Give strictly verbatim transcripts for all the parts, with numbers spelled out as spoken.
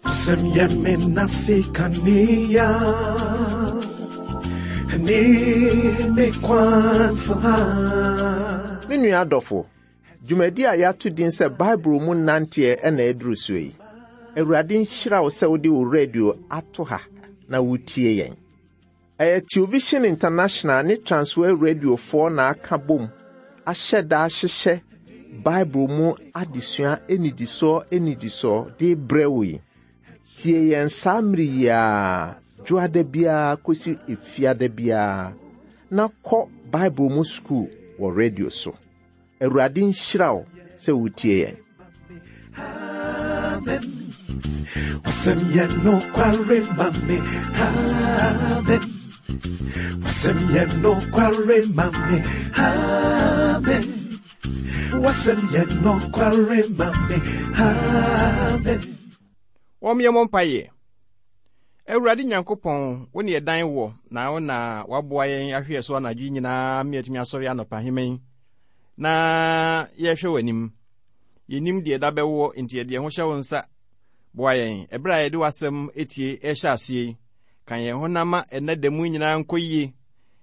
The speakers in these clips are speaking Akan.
W'asɛm yɛ me nase kanea ne me kwan so ha. Me nua adɔfo, dwumadi a yɛato din sɛ Bible mu nanteɛ ɛna aduru soɔ yi. Awurade nhyira wo sɛ wode wo radio ato ha na wotie yɛn. Ɛyɛ Television International ne Transworld Radiofoɔ na aka bom ahyɛ da ahyehyɛ Bible mu adesua anidisoɔ anidisoɔ de brɛ wo yi. Tie yɛn saa mmere yi ara, dwoada biara kɔsi efiada biara, na kɔ Bible mu sukuu wɔ radio so. Awurade nhyira wo sɛ wotie yɛn. Amen. W'asɛm yɛ nokware ma me. Amen. W'asɛm yɛ nokware ma me. Amen. W'asɛm yɛ nokware ma me. Amen. Wɔmmyɛ mo mpaeɛ. Awurade Nyankopɔn, wo ne yɛdan wɔ na wo na waboa yɛn ahwɛ so anadwo yi nyinaa ma yɛatumi asɔre anɔpahema yi na yɛhwɛ w'anim. Yɛnim deɛ da bɛwɔ nti yɛde yɛn ho hyɛ wo nsa. Boa yɛn ɛberɛ a yɛde w'asɛm etie ɛhyɛ aseɛ yi. Ka yɛn ho na ma ɛnnɛ da mu nyinaa nkɔ yie.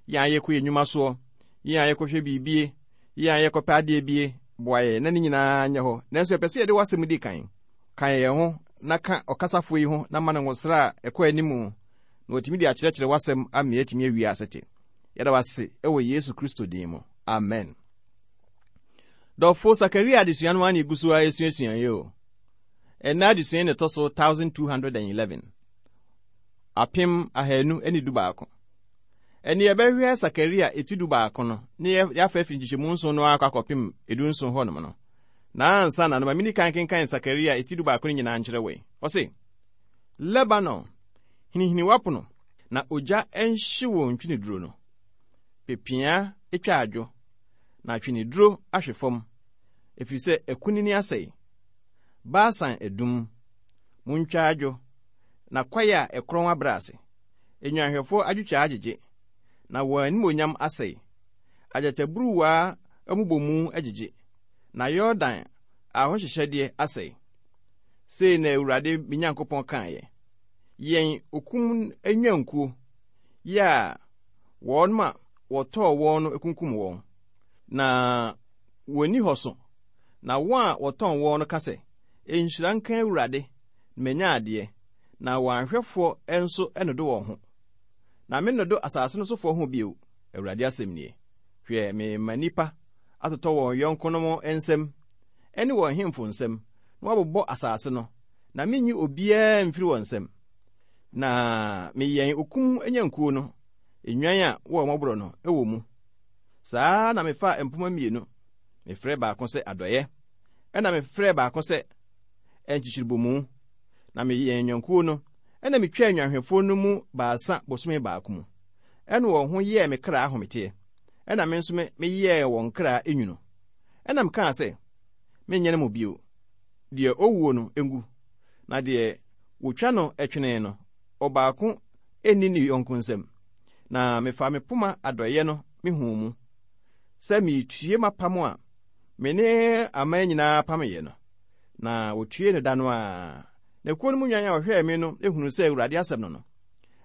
Yɛn a yɛkɔ yɛn nnwuma soɔ, yɛn a yɛkɔhwɛ biribie, yɛn a yɛkɔpɛ adeɛ bie, boa yɛn na ne nyinaa nyɛ hɔ. Nanso yɛpɛ sɛ yɛde w'asɛm di kan. Ka yɛn ho na ka ɔkasafoɔ yi ho na ma no nwosra a ɛkɔ anim na watumi de akyerɛkyerɛ w'asɛm ama yɛatumi awie asete. Yɛda wase ɛwɔ Yesu Kristo din mu. Amen. Dɔfo Sakaria adesua no ara na egu so a esuasua yi o. Ɛnnɛ adesua yi na ɛtɔ so apem ahanu ne dubaako. Apem ahanu ne du baako. Ɛne yɛbɛhwɛ Sakaria eti du baako no ne yɛafa afiri nkyekyɛmu nson no akɔ akɔpem edu nson hɔnom no. Na ansa na no ma mini kan kenkan Sakaria eti du baako no nyinaa nkyerɛ wei. Ɔse, Lebanon, hinihini w'apono na ogya nhye wɔ ntweneduro no. Pepea etwa adwo na atweneduro ahwe fam, ɛfiri sɛ akunini asɛe. Basan adum, muntwa adwo, na kwae a ɛkorɔn abrɛ ase. Nnwanhwɛfoɔ adwotwa agyegye, na wɔn animonyam asɛe. Agyataburuwa amubɔmu agyegye, na Yordan ahohyehyɛdeɛ asɛe. Sei na Awurade me Nyankopɔn kaeɛ. Yɛn okum nnwankuo, yɛ a wɔn a wɔtɔɔ wɔn no kunkum wɔn. Na wɔnni hɔ so. Na wɔn a wɔtɔn wɔn no ka sɛ, nhyira nka Awurade, na manya adeɛ, na wɔn ahwɛfoɔ nso nnodo wɔn ho. Na mennodo asase no sofoɔ ho bio, Awurade asɛm nie. Hwɛ, mema nnipa atotɔ wɔn yɔnkonom nsam, ɛne wɔn hemfo nsam, na wɔabobɔ asase no, na menyi obiara mfiri wɔn nsam. Na meyɛn okum nyankuo no, nnwan a wɔwɔ mmɔborɔ no wɔ mu. Saa na mefaa mpoma mmienu, mefrɛ baako sɛ adɔeɛ, ɛna mefrɛ baako sɛ nkyekyerebomu. Na meyɛn nnwankuo no, ɛna metwaa nnwanhwɛfoɔ no mu baasa bosome baako mu. Ɛna wɔn ho yɛɛ me kra ahometeɛ, ɛna me nso meyɛɛ wɔn kra enwunu. Ɛna mekaa sɛ, menyɛ no mo bio. Deɛ owuo no ngu, na deɛ wotwa no twene no, ɔbaako nni ne yɔnko nsam. Na mefa me poma adɔeɛ no mehuu mu, sɛ meretue m'apam a me ne aman nyinaa pameyɛ no. Na wotue no da no ara. Na kuo no mu nwan a wɔhwɛɛ me no ehunu sɛ Awurade asɛm no no.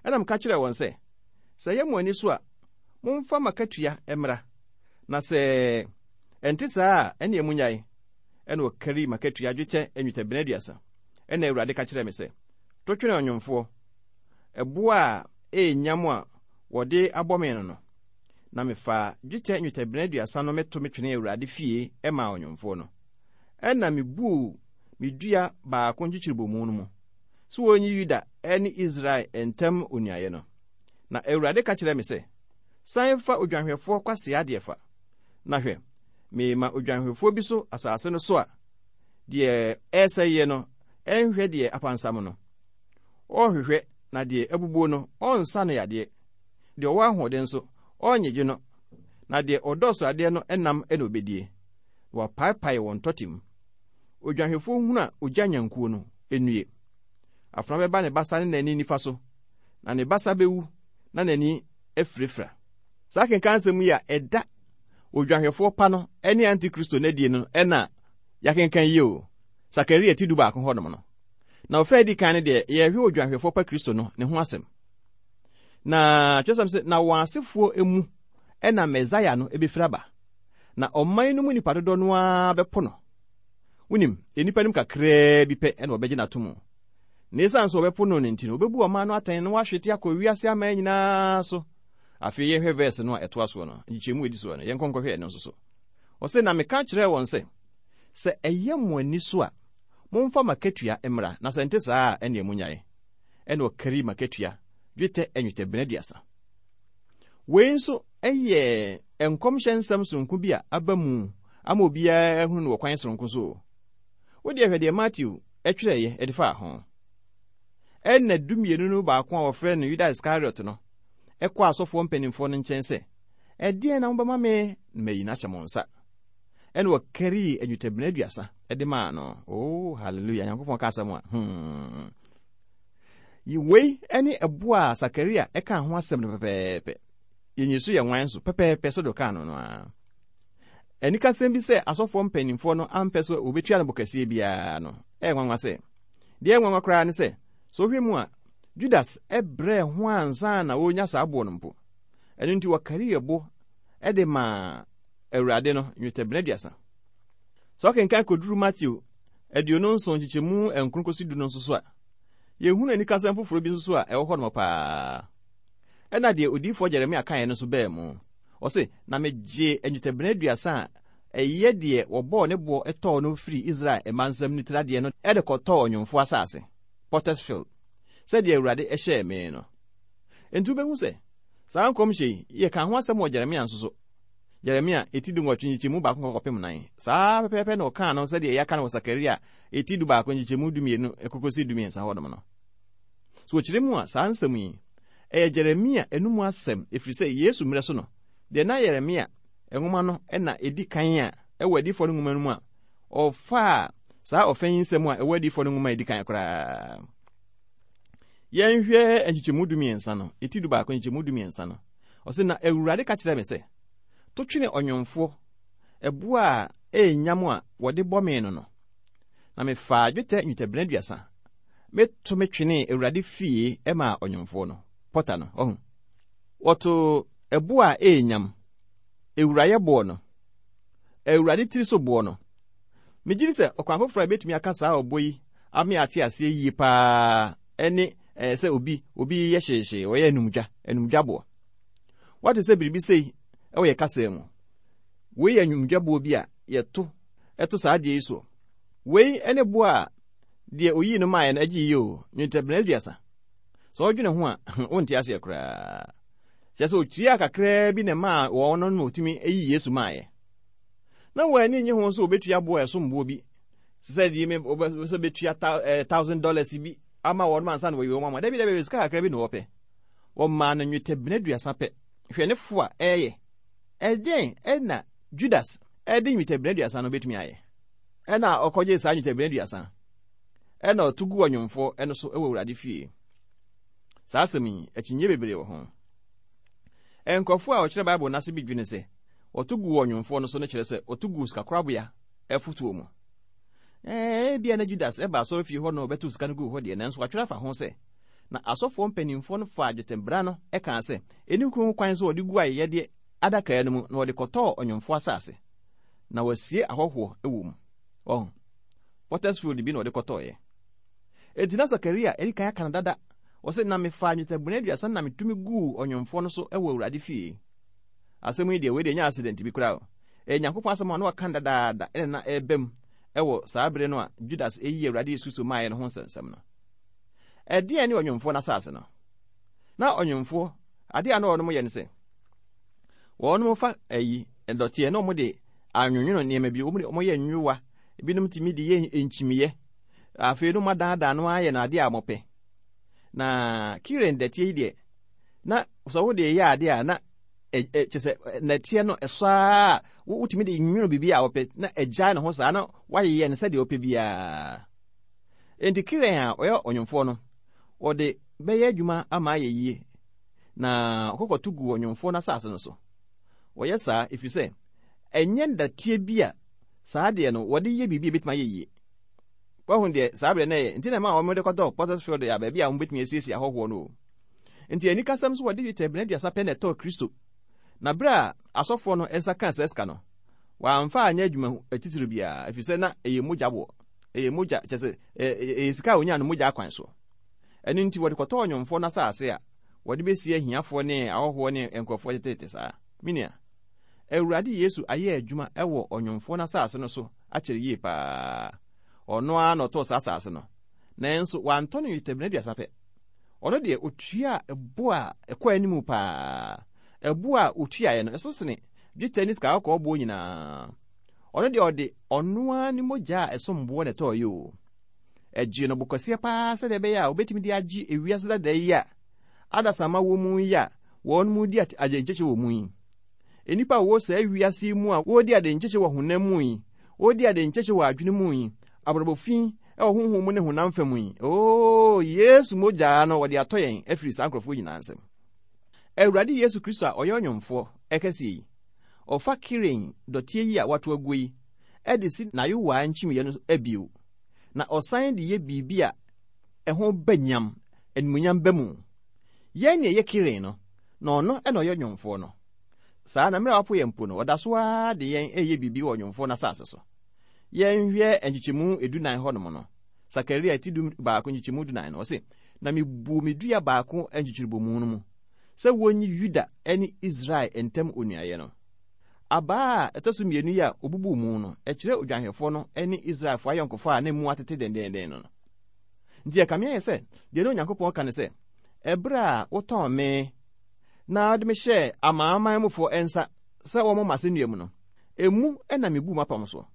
Ɛna meka kyerɛɛ wɔn sɛ, sɛ ɛyɛ mo ani so a, momfa m'akatua mmra. Na sɛ ɛnte saa a, ɛnneɛ munnyae. Ɛna wɔkari m'akatua dwetɛ nnwetɛbena aduasa. Ɛna Awurade ka kyerɛɛ me sɛ, to twene ɔnwomfoɔ, ɛboɔ a ɛyɛ nyam a wɔde abɔ me no no. Na mefaa dwetɛ nnwetɛbena aduasa no meto metwene Awurade fie ɛmaa ɔnwomfoɔ no. Ɛna mebuu me dua baako nkyekyerebomu no mu, sɛ wɔnyi Yuda ne Israel ntam onuayɛ no. Na Awurade ka kyerɛɛ me sɛ, san fa odwanhwɛfoɔ kwasea adeɛ fa. Na hwɛ, mema odwanhwɛfoɔ bi so asase no so a, deɛ ɛresɛeɛ no ɛnhwɛ deɛ apansam no. Ɔnhwehwɛ na deɛ abubuo no ɔnsa no yadeɛ. Deɛ ɔwɔ ahoɔden nso ɔnnyegye no. Na deɛ ɔdɔɔso adeɛ no nam na obedie. Na wapaepae wɔn tɔte mu. Odwanhwɛfoɔ hunu a ogya nyankuo no, nnue. Afena bɛba ne basa ne n'ani nifa so, na ne basa bɛwu na n'ani afirafira. Saa kenkan nsɛm yi a ɛda odwanhwɛfoɔ pa no ne antikristo n'adie no ɛna Yɛakenkan yi o, Sakaria ti du baako hɔnom no. Na ɔfa adi kan no deɛ, yɛhwɛ odwanhwɛfoɔ pa Kristo no ne ho asɛm. Na kyerɛsɛm sɛ, na wɔn asefoɔ mu ɛna Mesaia no ebɛfiri aba. Na ɔman no mu nipa dodoɔ no ara bɛpo no. Wonim, nnipa no mu kakraa bi pɛ ɛna wɔbɛgye n'ato mu. Na esiane sɛ wɔbɛpo no no nti no, wɔbɛbu ɔman no atɛn na wɔahwete akɔ wiase aman nyinaa so. Afei yɛhwɛ verse no a ɛtoa soɔ no, nkyekyɛmu edi soɔ no, yɛnkɔ nkɔhwɛ ɛno nso so. Ɔsɛ na meka kyerɛɛ wɔn sɛ, sɛ ɛyɛ mo ani so a, momfa makatua mmra, na sɛ nte saa a, ɛnneɛ monyae. Ɛna ɔkari makatua, dwetɛ nnwetɛbena aduasa. Wei nso ɛyɛ nkɔmhyɛ nsɛm sononko bi a aba mu ama obiara ahunu no wɔ kwan sononko so. Wode hwɛ deɛ Matthew ɛtwerɛeɛ ɛde faa ho. Ɛna dumienu no baako a wɔfrɛ no Yuda Iskariot no ɛkɔ asɔfoɔ mpanimfoɔ no nkyɛn sɛ, ɛdeɛn na mobɛma me na mayi no ahyɛ mo nsa? Ɛna wɔkarii nnwetɛbena aduasa ɛde maa no. Oh, hallelujah. Nyankopɔn ka asɛm a. Hmm. Wei ɛne ɛboɔ a Sakaria ɛka ho asɛm no pɛpɛɛpɛ. Yɛnyi so yɛ nwan so pɛpɛɛpɛ so de ɔkaa no no ara. Anikasɛm bi sɛ asɔfoɔ mpanimfoɔ no ampɛ so wɔbɛtua no bo kɛseɛ biara no, ɛyɛ nwanwa sɛ. Deɛ ɛyɛ nwanwa koraa ne sɛ, sɛ wohwɛ mu a, Judas ɛbrɛɛ ho ansa na wɔnya saa boɔ no mpo. Ɛno nti wɔkari ɛbo ɛde maa Awurade no nnwetɛbena aduasa. Sɛ ɔkenkan kɔduru Matthew aduonu nson nkyekyɛmu nkron kɔsi du no nso so a, yɛhunu anikasɛm foforɔ bi nso so a ɛwɔ hɔ nom paa. Ɛna deɛ odiyifoɔ Jeremia kaeɛ no nso bɛɛ mu. Ɔse, na megye nnwetɛbena aduasa a ɛyɛ deɛ wɔbɔɔ ne boɔ ɛtɔɔ no firi Israel mma nsam ne tiradeɛ no ɛde kɔtɔɔ ɔnwomfoɔ asase, Potter's Field, sɛdeɛ Awurade ɛhyɛɛ me no. Enti wobɛhu sɛ, saa nkɔmhyɛ yi, yɛka ho asɛm wɔ Jeremia nso so. Jeremia eti du nwɔtwe nkyekyɛmu baako kɔkɔpem nan. Saa pɛpɛɛpɛ na ɔkaa no sɛdeɛ yɛaka no wɔ Sakaria eti du baako nkyekyɛmu du mmienu ɛkɔkɔsi du mmiɛnsa hɔnom no. So wɔkyerɛ mu a, saa nsɛm yi, ɛyɛ Jeremia enum asɛm, ɛfiri sɛ Yesu mmerɛ so no, deɛ na Yeremia nwoma no ɛna ɛdi kan a ɛwɔ adiyifoɔ no nwoma no mu a, ɔfaa saa ɔfɛ yi nsɛm a ɛwɔ adiyifoɔ no nwoma a ɛdi kan koraa. Yɛnhwɛ nkyekyɛmu du mmiɛnsa no, eti du baako nkyekyɛmu du mmiɛnsa no. Ɔsɛ na Awurade ka kyerɛɛ me sɛ, to twene ɔnwomfoɔ, ɛboɔ a ɛyɛ nyam a wɔde bɔ me no no. Na mefaa dwetɛ nnwetɛbena aduasa, meto me twenee Awurade fie ɛmaa ɔnwomfoɔ no, pɔta no, ɔho. Wɔto ɛboɔ a ɛyɛ nyam, ewurayɛ boɔ no, Awurade tiri so boɔ no. Megye di sɛ ɔkwan foforɔ a ebetumi aka saa ɔbɔ yi ame ate aseɛ yie paa ɛne ɛɛ sɛ obi obi yɛ hyeehyee, ɔyɛ anumdwa, anumdwa boɔ. Wate sɛ biribi sei ɛwɔ yɛ kasa mu. Wei yɛ anumdwa boɔ bi a yɛto ɛto saa adeɛ yi soɔ. Wei ɛne boɔ a deɛ oyii no maaeɛ no agye yie o, nnwetɛbena aduasa. Sɛ ɔdwene ho a, wonte aseɛ koraa. Kyerɛ sɛ otua kakraa bi na ɛmaa wɔn no na otumi ayi Yesu maaeɛ. Na wɔn ani nye ho nso obetua boɔ a ɛsom boɔ bi. Sɛ deɛ me sɛ betua thousand dollars bi ama wɔn ansa na wɔyi wɔn ama. Dabi dabi sika kakra bi na wɔpɛ. Wɔmaa no nnwetɛbena aduasa pɛ. Hwɛ ne fo a ɛyɛ. Ɛdeɛn ɛna Judas ɛde nnwetɛbena aduasa no betumi ayɛ? Ɛna ɔkɔgye saa nnwetɛbena aduasa. Ɛna ɔto gu ɔnwomfoɔ ɛno so ɛwɔ Awurade fie. Saa asɛm yi, akyinnye bebree wɔ ho. Nkurɔfoɔ a wɔkyerɛ Bible n'ase bi dwene sɛ wɔto gu ɔnwomfoɔ no so no kyerɛ sɛ wɔto gu sikakorabea ɛfotoɔ mu. Ɛɛ ebia na Judas ɛba asɔre fie hɔ na ɔbɛto sika no guu hɔ deɛ, nanso watwerɛ afa ho sɛ na asɔfoɔ mpanimfoɔ no faa dwetɛbena no ɛkaa sɛ ɛni ho kwan sɛ wɔde gu ayɛyɛdeɛ adaka no mu na wɔde kɔtɔɔ ɔnwomfoɔ asase na wɔasie ahɔhoɔ wɔ mu. Ɔho Potter's Field bi na wɔde kɔtɔɔeɛ. Enti na Sakaria ɛdi kan aka no dada. Wɔsɛ na mefaa nnwetɛbena aduasa na metumi guu ɔnwomfoɔ no so wɔ Awurade fie. Asɛm yi deɛ wei deɛ ɛnyɛ accident bi koraa o. Ɛyɛ Nyankopɔn asɛm a na waka dadaada ɛna na ɛreba mu ɛwɔ saa bere no a Judas eyi Awurade Yesu Kristo maaeɛ no ho nsɛnsɛm no. Ɛdeɛn ne ɔnwomfoɔ no asase no? Na ɔnwomfoɔ, adeɛ a na wɔnom yɛ ne sɛ, wɔnom fa ayi dɔteɛ na wɔde anwonwono nneɛma bi, wɔde wɔyɛ nwowa, ebinom tumi de yɛ nkyimiiɛ. Afei no wɔadaadaa no ayɛ no adeɛ a wɔpɛ. Na Kiren dɛteɛ yi deɛ, na sɛ wode yɛ adeɛ a na kyɛ sɛ nɛteɛ no ɛsɔ a wotumi de nwono biribi a wɔpɛ na ɛgyae ne ho saa na wayeyɛ no sɛdeɛ wɔpɛ biara. Enti Kiren a ɔyɛ ɔnwomfoɔ no, wɔde bɛyɛ adwuma ama ayɛ yie na ɔkɔkɔto gu ɔnwomfoɔ no asase no so. Wɔyɛ saa ɛfiri sɛ ɛnyɛ ndateɛ bi a Saa adeɛ no, wɔde yɛ biribi a ebetumi ayɛ yie. Wahu deɛ saa berɛ no ɛyɛ, nti na ɛma wɔn de kɔtɔɔ Potter's Field a baabi a wɔbɛtumi asiesie ahɔhoɔ no o. Nti anikasɛm so wɔde dwetɛbena aduasa pɛ na ɛtɔɔ Kristo. Na berɛ a asɔfoɔ no nsa kaa saa sika no, wɔamfa anyɛ adwuma atitiri biara, ɛfiri sɛ na ɛyɛ mogya boɔ. Ɛyɛ mogya, kyerɛ sɛ ɛyɛ sika a wɔnyaa no mogya akwan so. Ɛno nti wɔde kɔtɔɔ nnwomfoɔ no asase a wɔde bɛsie ahiafoɔ ne ahɔhoɔ ne nkurɔfoɔ tetete saa. Menua, Awurade Yesu ayɛ adwuma ɛwɔ ɔnwomfoɔ no asase no so akyerɛ yie paa. Ɔno ara na ɔtɔɔ saa asase no. Nanso wantɔ no dwetɛbena aduasa pɛ. Ɔno deɛ otua ɛbo a ɛkɔ anim paa. Ɛbo a otuaeɛ no, ɛso sene dwetɛ ne sika kɔkɔɔ boɔ nyinaa. Ɔno deɛ ɔde ɔno ara ne mogya a ɛsom boɔ na ɛtɔɔ yi o. Ɛgye no bo kɛseɛ paa sɛdeɛ ɛbɛyɛ a obetumi de agye ewiase dada yi a adasamma wɔ mu yi a wɔn mu di agyenkyekye wɔ mu yi. Nnipa a wɔwɔ saa wiase yi mu a wɔredi adenkyekye wɔ honam mu yi, wɔredi adenkyekye wɔ adwene mu yi, abrabɔ fi wɔ honhom mu ne honam fam yi. Oo, Yesu mogya no wɔde atɔ yɛn afiri saa nkurɔfoɔ nyinaa nsam. Awurade Yesu Kristo a ɔyɛ ɔnwomfoɔ ɛkɛseɛ yi, ɔfa Kiren dɔteɛ yi a wato aguo yi ɛde si n'ayowaa nkyimiiɛ no abio, na ɔsan de yɛ biribi a ɛho ba nyam, animuonyam ba mu. Yɛn ne ɛyɛ Kiren no, na ɔno ɛna ɔyɛ ɔnwomfoɔ no. Saa na mmerɛ a wapo yɛn mpo no, ɔda so ara de yɛn ɛyɛ biribi wɔ ɔnwomfoɔ no asase so. Yɛnhwɛ nkyekyɛmu edunan hɔnom no, Sakaria ti du baako nkyekyɛmu dunan no, ɔse, na mebuu me dua baako nkyekyerebomu no mu, sɛ wonyi Yuda ne Israel ntam onuayɛ no. Abaa a ɛtɔ so mmienu yi a obubuu mu no, ɛkyerɛ odwanhwɛfoɔ no ne Israelfoɔ ayɔnkofa a na mu atete dendenden no. Nti ɛkame ayɛ sɛ, deɛ na Onyankopɔn ka ne sɛ, ɛberɛ a wotɔn me na wode me hyɛɛ amanaman mufoɔ nsa sɛ wɔmmɔ m'asɛnnua mu no, emu na mebuu m'apam so.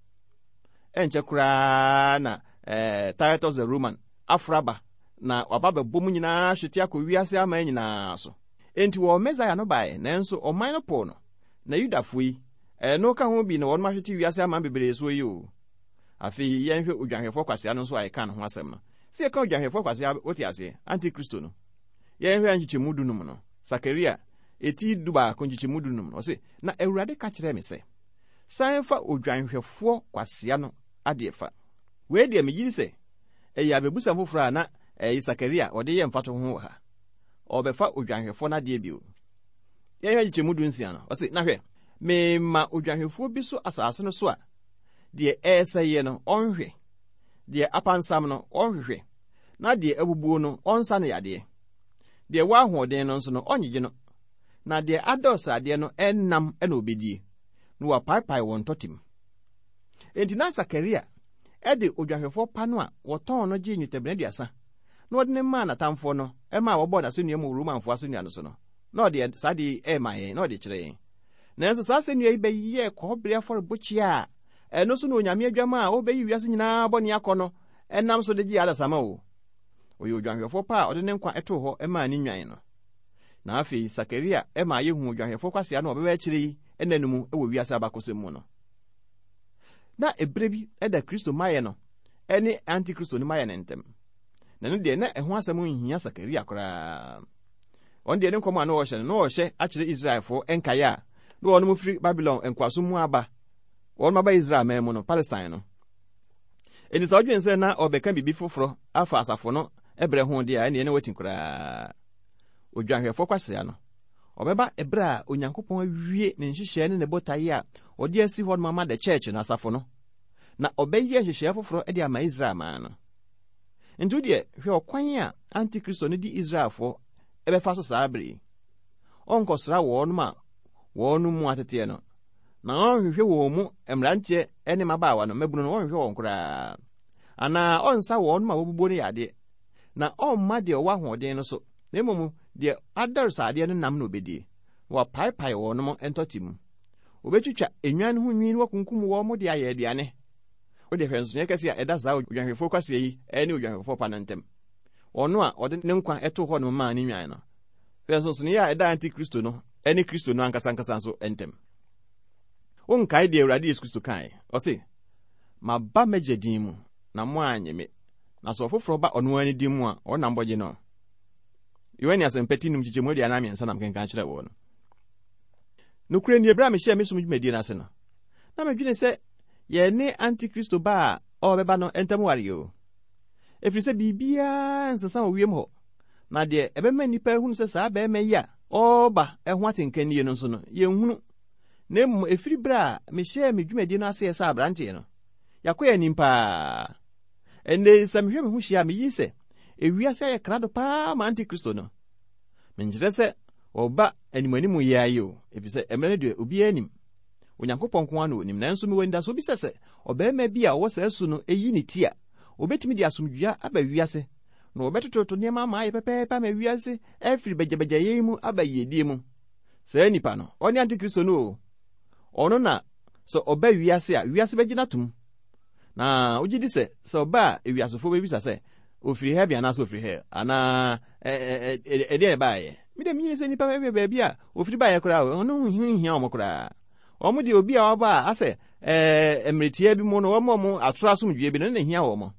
Ɛnkyɛ koraa na eh, Titus the Roman aforo aba na waba bɛbɔ mu nyinaa hwete akɔ wiase aman nyinaa so. Enti wɔ Mesaia no baeɛ, nanso ɔman no poo no. Na Yudafoɔ yi, ɛno ka ho bi na wɔn ahwete wiase aman bebree soɔ yi o. Afei yɛnhwɛ odwanhwɛfoɔ kwasea no nso a yɛka ne ho asɛm no. Sɛ yɛka odwanhwɛfoɔ kwasea, wote aseɛ, Antikristo no. Yɛnhwɛ nkyekyɛmu dunum no. Sakaria, eti du baako nkyekyɛmu dunum no. Ɔse, na Awurade ka kyerɛɛ me sɛ, san fa odwanhwɛfoɔ kwasea no adeɛ fa. Wei deɛ megye di sɛ ɛyɛ abɛbusɛm foforɔ a na ɛyɛ Sakaria ɔde yɛ mfatoho ho wɔ ha. Ɔbɛfa odwanhwɛfoɔ no adeɛ bio. Yɛnhwɛ nkyekyɛmu du nsia no. Ɔse, na hwɛ, mema odwanhwɛfoɔ bi so asase no so a, deɛ ɛresɛeɛ no, ɔnhwɛ. Deɛ apansam no, ɔnhwehwɛ. Na deɛ abubuo no, ɔnsa no yadeɛ. Deɛ wɔ ahoɔden no nso no, ɔnyegye no. Na deɛ adɔ sradeɛ no, ɛnam ɛna obedie. Na wapaepae wɔn ntɔtem. Enti na Sakaria ɛde odwanhwɛfoɔ pa no a wɔtɔn no gyee nnwetɛbena aduasa na wɔde ne maa n'atamfoɔ no ɛmaa wɔbɔɔ n'asɛnnua mu wɔ Romanfoɔ asɛnnua no so no, na ɔde saa de ɛma yɛn, na ɔde kyerɛ yɛn. Nanso saa asɛnnua yi bɛyɛɛ kɔbere afɔrebɔkyia a ɛno so na Onyame adwama a ɔbɛyi wiase nyinaa bɔne akɔ no ɛnam so de gye adasamma o. Ɔyɛ odwanhwɛfoɔ pa a ɔde ne nkwa ɛtoo hɔ ɛmaa ne nnwan no. Na afei Sakaria ɛmaa yɛhu odwanhwɛfoɔ kwasea no a ɔbɛba akyire yi ɛna no mu ɛwɔ wiase abakɔsɛm mu no. Na ɛberɛ bi ɛda Kristo mayɛ no ɛne Antikristo no mayɛ no ntɛm. Na no deɛ na ɛho asɛm nhia Sakaria koraa. Ɔno deɛ ne nkɔmɔ a na ɔhyɛ no, na ɔhyɛ akyerɛ Israelfoɔ nkaeɛ a na wɔn firi Babylon nkoasom mu aba, wɔn aba Israel man mu no, Palestine no. Enti sɛ ɔdwen sɛ na ɔbɛka biribi foforɔ afa asafo no ɛbrɛ ho deɛ a, ɛneɛ ne wati koraa. Odwanhwɛfoɔ kwasea no, ɔbɛba ɛberɛ a Onyankopɔn awie ne nhyehyɛe ne ne botaeɛ a ɔde asi hɔ no ama the church no, asafo no, na ɔbɛyɛ nhyehyɛe foforɔ de ama Israel man no. Nti deɛ hwɛ ɔkwan a Antikristo no di Israelfoɔ ɛbɛfa so saa bere yi. Ɔnkɔsra wɔn a wɔn mu ateteɛ no, na ɔnhwehwɛ wɔn mu mmeranteɛ ne mmabaawa no, mmabunu no, ɔnhwehwɛ wɔn koraa. Anaa ɔnsa wɔn a wɔbubuo no yadeɛ, na ɔmma deɛ ɔwɔ ahoɔden no so, na mmom deɛ adɔre sradeɛ no nam na obedie, na wapaepae wɔn ntɔte mu. Obetwitwa enwan ho nwi na wakunkum wɔn de ayɛ aduane. Wode hwɛ nsonoeɛ kɛse a ɛda saa odwanhwɛfoɔ kwasea yi ne odwanhwɛfoɔ pa no ntam. Ɔno a ɔde ne nkwa ɛtoo hɔ no maa ne nwan no. Hwɛ nsonsonoeɛ a ɛda Antikristo no ne Kristo no ankasa ankasa nso ntam. Wonkae deɛ Awurade Yesu Kristo kae. Ɔse, maba m'agya din mu, na mo annye me. Na sɛ ɔfoforɔ ba ɔno ara ne din mu a, ɔnam bɔgye no. Yohane asɛmpa ti num nkyekyɛmu aduanan mmiɛnsa nam kenkan kyerɛ wɔ no. Nokorɛ nie, berɛ a mehyɛɛ me som dwumadie no ase no, na medwene sɛ Yɛne Antikristo ba a ɔrebɛba no ntam ware o. Ɛfiri sɛ biribiara nsesa wɔ wiem hɔ. Na deɛ ɛbɛma nnipa ahunu sɛ saa bɛrima yi a ɔreba ho atenka nie no nso no, yɛnhunu. Na mmom ɛfiri berɛ a mehyɛɛ me dwumadie no aseɛ sɛ aberanteɛ no, yɛakɔ yɛn anim paa. Ɛnnɛ sɛ mehwɛ me ho hyia a, meyi sɛ ewiase ayɛ krado paa ma Antikristo no. Menkyerɛ sɛ ɔba animanimu yi ara yi o, ɛfiri sɛ mmerɛ no deɛ obiara nim. Onyankopɔn nko ara na onim. Nanso mewɔ anidasoɔ bi sɛ sɛ ɔbarima bi a ɔwɔ saa su no eyi ne ti a, obetumi de asomdwoeɛ aba wiase, na wɔbɛtototo nneɛma ama ayɛ pɛpɛɛpɛ ama wiase afiri bagyabagyayɛ yi mu aba yiedie mu. Saa nipa no, ɔne Antikristo no o. Ɔno na sɛ ɔba wiase a, wiase bɛgye n'atom. Na wogye di sɛ sɛ ɔba a, ewiasefoɔ bɛbisa sɛ ofiri heaven anaasɛ ofiri hell anaa ɛdeɛ ɛbaeɛ. Mede menyini sɛ nnipa bɛhwɛ baabi a ofiri baeɛ koraa, ɔno ho nhia wɔn koraa. Wɔn deɛ obi a waba a asɛ ɛɛ mmeretia bi mu no, wɔn a wɔn atoro asomdwoeɛ bi no, ne hia wɔn.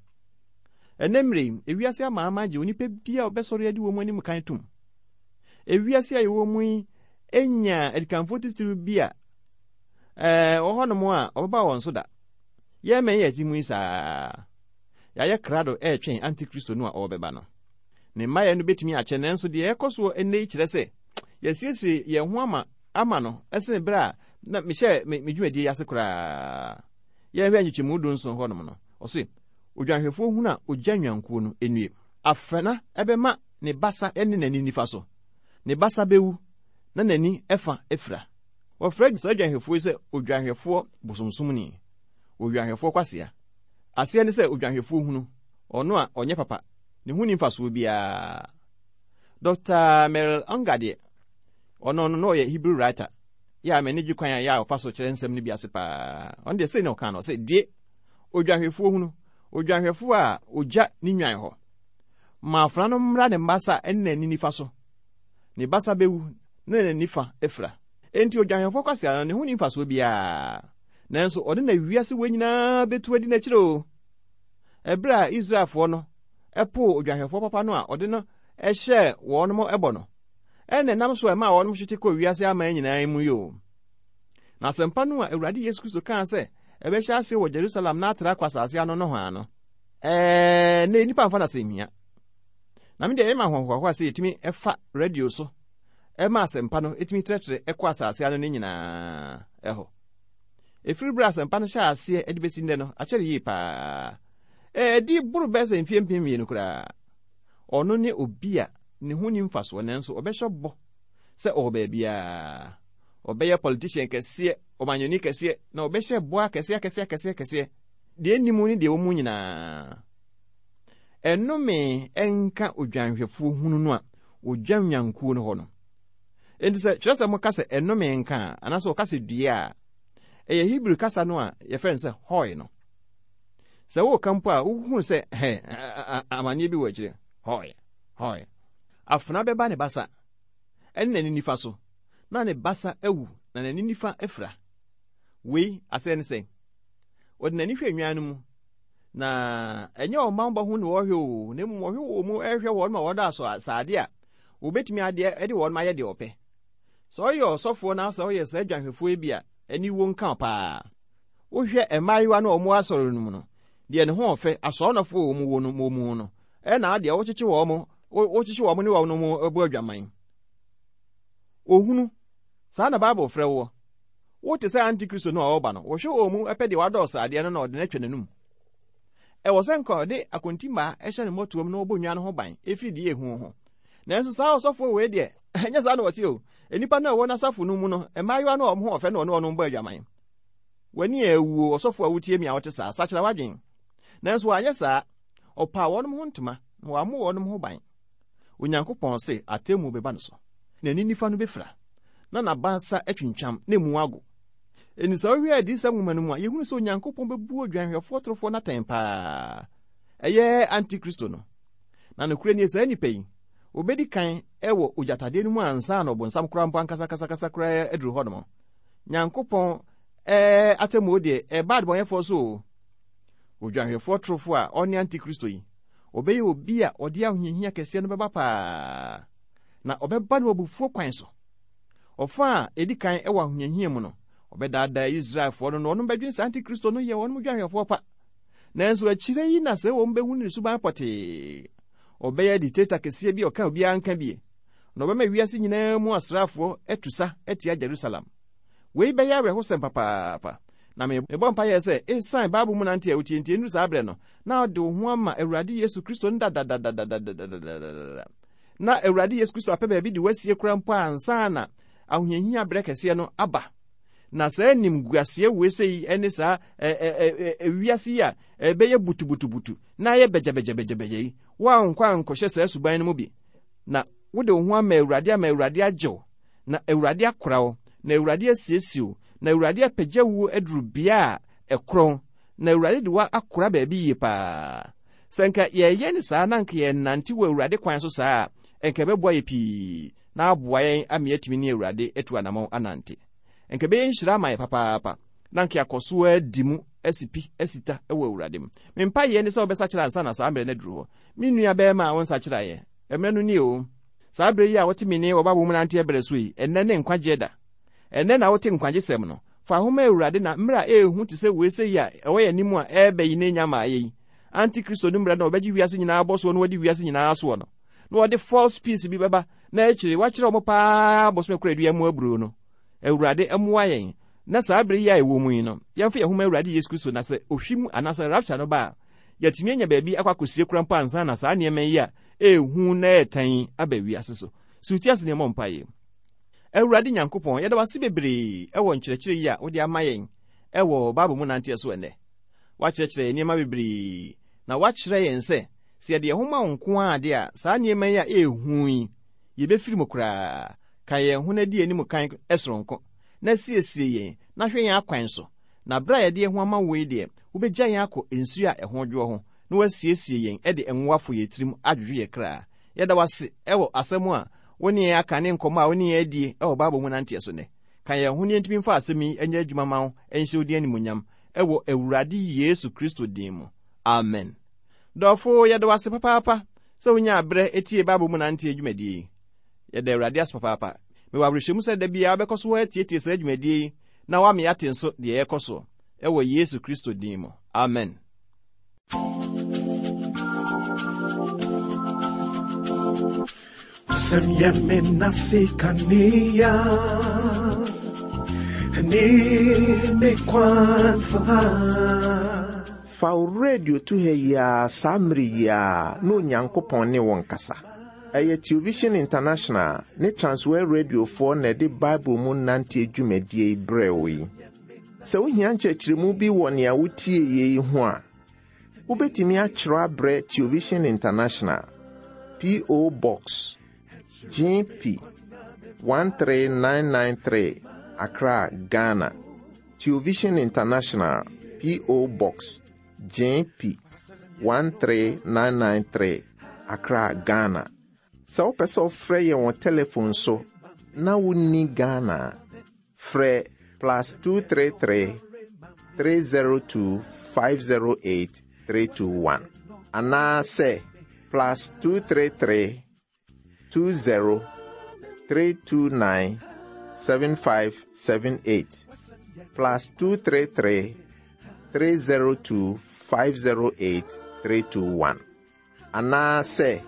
Ɛnɛ mmerɛ yi, ewiase amaama gye onipa bi a ɔbɛsɔre adi wɔn anim kan tom. Ewiase a yɛwɔ mu yi enya adikanfoɔ titiriw bi a ɛɛ wɔ hɔnom a ɔbɛba wɔn so da. Yɛn mɛn yɛ ti mu yi saa. Yɛayɛ krado ɛretwɛn Antikristo no a ɔrebɛba no. Ne mmaeɛ no bɛtumi akyɛ, nanso deɛ ɛkɔ soɔ ɛnnɛ yi kyerɛ sɛ yɛsiesie yɛn ho ama ama no ɛsene berɛ a na mehyɛ me, me dwumadie yi ase koraa. Yɛhwɛ nkyekyɛmu du nson hɔnom no, ɔse odwanhwɛfoɔ hunu a ogya nnwankuo no nnue. Afɛna ɛbɛma ne basa ne n'ani nifa so. Ne basa bɛwu na n'ani ɛfa afira. Wɔfrɛ saa odwanhwɛfoɔ yi sɛ odwanhwɛfoɔ bosomsomni, odwanhwɛfoɔ kwasea. Aseɛ ne sɛ odwanhwɛfoɔ hunu, ɔno a ɔnyɛ papa, ne ho ni mfasoɔ biara. Doctor Merrill Unger deɛ, ɔno no na ɔyɛ Hebrew writer. Yɛ a m'ani gye kwan a yɛ a ɔfa so kyerɛ nsɛm no bi ase paa. Ɔno deɛ sei na ɔka no, ɔsɛ due odwanhwɛfoɔ hunu, odwanhwɛfoɔ a ogya ne nwan hɔ. Ma afena no mmra ne basa ne n'ani nifa so. Ne basa bɛwu na n'ani fa afira. Enti odwanhwɛfoɔ kwasea no, ne ho ni mfasoɔ biara. Nanso ɔde na wiase wɔ nyinaa bɛtu adi n'akyiri o. Ɛberɛ a Israelfoɔ no ɛpoo odwanhwɛfoɔ papa no a ɔde no ɛhyɛɛ wɔn ɛbɔ no, ɛna ɛnam so a ɛmaa wɔn hwete kɔɔ wiase aman nyinaa mu yi o. Na asɛmpa no a Awurade Yesu Kristo kaa sɛ ɛbɛhyɛ ase wɔ Jerusalem na atra akɔ asase ano no hɔ ano, ɛɛ na nnipa mfa no asɛmhia. Na me deɛ ɛyɛ ma ahohoahoa sɛ yɛtumi ɛfa radio so ɛma asɛmpa no ɛtumi trɛtrɛ ɛkɔ asase ano no nyinaa ɛhɔ. Ɛfiri berɛ asɛmpa no hyɛ aseɛ ɛde bɛsi nnɛ no, akyɛre yie paa. Ɛdi boro bɛyɛ sɛ mfeɛ mpem mmienu koraa. Ɔno ne obi a ne ho ni mfasoɔ, nanso ɔbɛhyɛ bɔ sɛ ɔwɔ baabiara. Ɔbɛyɛ politician kɛseɛ, ɔmanyɔni kɛseɛ, na ɔbɛhyɛ bɔ akɛseɛ akɛseɛ akɛseɛ akɛseɛ. Deɛ ɛnni mu ne deɛ ɛwɔ mu nyinaa. Ɛnnome ɛnka odwanhwɛfoɔ hunu no a ogya nnwankuo no hɔ no. Enti sɛ kyerɛsɛm mo ka sɛ ɛnnome nka a, anaasɛ ɔka sɛ due a, ɛyɛ Hebrew kasa no a yɛfrɛ no sɛ hoi no. Sɛ woka mpo a, wohunu sɛ hɛ amanneɛ bi wɔ akyire. Hoi, hoi. Afena bɛba ne basa ɛne n'ani nifa so, na ne basa awu na n'ani nifa afira. Wei asɛ ne sɛ ɔde n'ani hwɛ nnwan no mu, na ɛnyɛ ɔman bɔ ho na ɔhwɛ o, na mmom ɔhwɛ wɔ mu ɛhwɛ wɔn ma wɔda aso asaade a wɔbɛtumi adeɛ ɛde wɔn ayɛ deɛ ɔpɛ. Sɛ ɔyɛ ɔsɔfoɔ na sɛ ɔyɛ saa dwanhwɛfoɔ bi a, ani wo nka paa. Wohwɛ mmaayewa no a wɔn asɔre no mu no, deɛ ne ho ɔfɛ asɔrɔnɔfoɔ wɔ mu wɔ no mu no, ɛna deɛ wɔkyekye wɔn, wɔkyekye wɔn ne wɔn mu bɔ adwaman. Ohunu, saa na Bible frɛ woɔ. Wote sɛ Antikristo no a ɔreba no, wɔhwɛ wɔn mu ɛpɛ deɛ wadɔɔso adeɛ no na ɔde no atwa n'anum. Ɛwɔ sɛ nka ɔde akontimmaa ɛhyɛ ne mmɔtoam na ɔbɔ nnwan no ho ban ɛfiri deɛ ehu ho. Nanso saa ɔsɔfoɔ wei deɛ, ɛnyɛ saa na ɔte o. Nnipa no a ɛwɔ n'asafo no mu no, mmaayewa no a wɔn ho ɔfɛ na ɔne wɔn bɔ adwaman. W'ani a awuo, ɔsɔfoɔ a wotie mi a wote saa, sakyera w'adwen. Nanso wanyɛ saa, ɔpaa wɔn ho ntoma na wammɔ wɔn ho ban. Onyankopɔn se atemmuo bɛba no so. N'ani nifa no bɛfira, na n'abasa atwintwam na emu ago. Enti sɛ wohwɛ adiyisɛm nwoma no mu a, yɛhunu sɛ Onyankopɔn bɛbu odwanhwɛfoɔ torofoɔ no atɛn paa. Ɛyɛ Antikristo no. Na nokorɛ nie, saa nnipa yi, wɔbɛdi kan ɛwɔ ogyatadeɛ no mu ansa na ɔbonsam koraa mpo ankasa kasa kasa koraa aduru hɔnom. Nyankopɔn ɛɛ atemmuo deɛ, ɛba adebɔnyɛfoɔ so o. Odwanhwɛfoɔ torofoɔ a ɔne Antikristo yi, ɔbɛyɛ obi a ɔde ahohiahia kɛseɛ no bɛba paa. Na ɔbɛba no abufuo kwan so. Ɔfa a ɛdi kan ɛwɔ ahohiahia mu no, Ɔbɛdaadaa Israelfoɔ no na wɔnom bɛdwene sɛ Antikristo no yɛ wɔnom dwanhwɛfoɔ pa. Nanso akyire yi na sɛ wɔn bɛhu ne suban pɔtee. Ɔbɛyɛ dictator kɛseɛ bi a ɔka obiara nka bie. Na ɔbɛma wiase nyinaa mu asraafoɔ atu sa atia Jerusalem. Wei bɛyɛ awerɛhosɛm papaapa. Na mebɔ mpaeɛ sɛ ɛsiane Bible mu nante a wotie nti ɛnuru saa berɛ no, na ɔde wo ho ama Awurade Yesu Kristo no dadadadadadadadada. Na Awurade Yesu Kristo apɛ baabi de wasie kora mpo ansa na ahohiahia berɛ kɛseɛ no aba. Na saa nimguaseɛ wei sɛ yi ne saa wiase yi a ɛbɛyɛ butubutubutu na ayɛ bɛgyabɛgyabɛgyabɛgya yi, woankɔ ankɔhyɛ saa suban no mu bi. Na wode wo ho ama Awurade ama Awurade agye wo, na Awurade akora wo, na Awurade asiesie wo, na Awurade apagya wo aduru bea a ɛkorɔn, na Awurade de wo akora baabi yie paa. Sɛ nka yɛyɛ ne saa na nka yɛnante wɔ Awurade kwan so saa a, nka ɛbɛboa yɛ pii na aboa yɛn ama yɛatumi ne Awurade atu anammɔn anante. Nka ɛbɛyɛ nhyira ama yɛ papaapa na nka yɛakɔ so adi mu asi pi asi ta wɔ Awurade mu. Me mpaeɛ ne sɛ wobɛsakyera ansa na saa mmerɛ no aduru hɔ. Me nua bɛrima a wonsakyeraeɛ, mmerɛ no nie o. Saa berɛ yi a wote me ne wɔ Bible mu nante berɛ so yi, ɛnnɛ ne nkwagyeɛ da. Ɛnnɛ na wote nkwagyesɛm no. Fa ho ma Awurade na mmerɛ a ɛɛhu te sɛ wei sɛ yi a ɛwɔ yɛn anim a ɛreba yi ne nya ma ayɛ yi. Antikristo no mmerɛ no ɔbɛgye wiase nyinaa abɔ soɔ na wɔde wiase nyinaa soɔ no. Na wɔde false peace bi bɛba na akyire wakyerɛ wɔn paa bosome kora dua mu aburo no. Awurade mmoa yɛn na saa bere yi a ɛwɔ mu yi no, yɛmfa yɛn ho ma Awurade Yesu Kristo na sɛ ohwim anaasɛ rapture no ba a, yɛatumi anya baabi akɔ akɔsie kora mpo ansa na saa nneɛma yi a ɛɛhu na ɛɛtan aba wiase so. So wotie ase nneɛma mpaeɛ. Awurade Nyankopɔn, yɛda wo ase bebree ɛwɔ nkyerɛkyerɛ yi a wode ama yɛn ɛwɔ Bible mu nanteɛ so ɛnnɛ. Woakyerɛkyerɛ yɛn nneɛma bebree na woakyerɛ yɛn sɛ sɛ yɛde yɛn ho ma wo nko ara de a, saa nneɛma yi a ɛɛhu yi, yɛbɛfiri mu koraa. Ka yɛn ho na di anim kan ɛsoronko, na siesie yɛn na hwɛ yɛn akwan so. Na berɛ a yɛde yɛn ho ama wo yi deɛ, wobɛgya yɛn akɔ nsuo a ɛho dwoɔ ho, na woasiesie yɛn de ngo afɔ yɛn tirim adwodwo yɛn kra. Yɛda wo ase ɛwɔ asɛm a wo ne yɛn aka ne nkɔmmɔ a wo ne yɛn adie ɛwɔ Bible mu nanteɛ so nnɛ. Ka yɛn ho ne yɛntumi mfa asɛm yi nyɛ adwuma ma wo nhyɛ wo din animuonyam ɛwɔ Awurade Yesu Kristo din mu. Amen. Dɔfo, yɛda wo ase papaapa sɛ wonyaa berɛ etie Bible mu nanteɛ dwumadie yi. Yɛda Awurade ase papaapa. Mewɔ awerɛhyɛmu sɛ da biara wobɛkɔ so atietie saa dwumadie yi na woama yɛate nso deɛ ɛrekɔ soɔ ɛwɔ Yesu Kristo din mu. Amen. Wasɛm yɛ me nase kanea ne me kwan so ha. Fa wo radio to ha yi ara saa mmere yi ara na Onyankopɔn ne wo nkasa. Ɛyɛ Television International ne Transworld Radiofoɔ na ɛde Bible mu nanteɛ dwumadie yi brɛɛ wo yi. Sɛ wohia nkyerɛkyerɛmu bi wɔ nea wotie yi ho a, wobɛtumi akyerɛw abrɛ Television International, P O. Box G P one three nine nine three, Accra, Ghana. Television International, P O. Box G P one three nine nine three, Accra, Ghana. Sɛ wopɛ sɛ wofrɛ yɛn wɔ telephone so na wonni Ghana a, frɛ plus two three three, three zero two, five zero eight, three two one anaasɛ plus two three three, two zero, three two nine, seven five seven eight, plus two three three, three zero two, five zero eight, three two one anaasɛ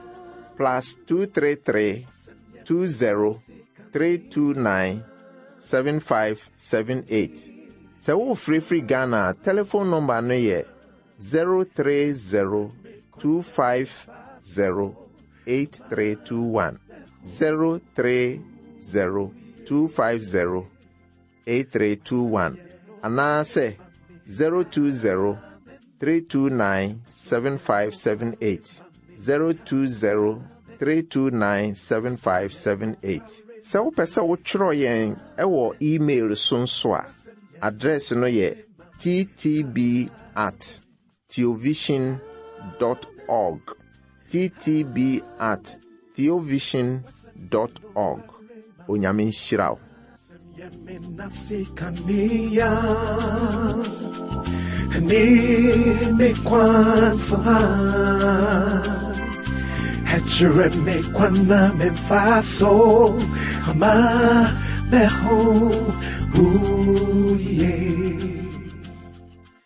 plus two three three, two zero, three two nine, seven five seven eight. Sɛ wofirifiri Ghana a, telephone number no yɛ zero three zero, two five zero, eight three two one, zero three zero, two five zero, eight three two one, anaasɛ zero two zero, three two nine, seven five seven eight, zero two zero, three two nine, seven five seven eight. Sɛ wopɛ sɛ wotwerɛ yɛn ɛwɔ email so nso a, address no yɛ t t b at theovision dot org, t t b at theovision dot org. Onyame nhyira wo. Ne me kwansa. Ɛkyerɛ me kwan na memfa so ama me ho Ooh, yeah.